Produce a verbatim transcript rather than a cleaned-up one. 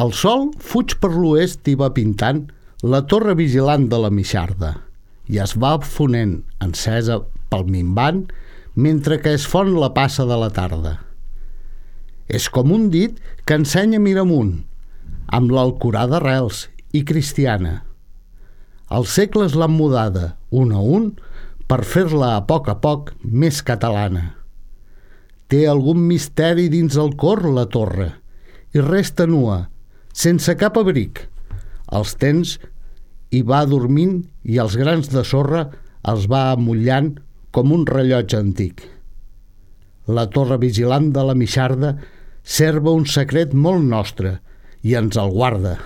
El sol fuig per l'oest i va pintant la torre vigilant de la Mixarda i es va fonent, encesa pel minvant, mentre que es fon la passa de la tarda. És com un dit que ensenya Miramunt, amb l'Alcorà d'arrels i cristiana. Els segles l'han mudada, un a un, per fer-la a poc a poc més catalana. Té algun misteri dins el cor la torre i resta nua, sense cap abric. Els temps hi va dormint i els grans de sorra els va amullant com un rellotge antic. La torre vigilant de la Mixarda serva un secret molt nostre i ens el guarda.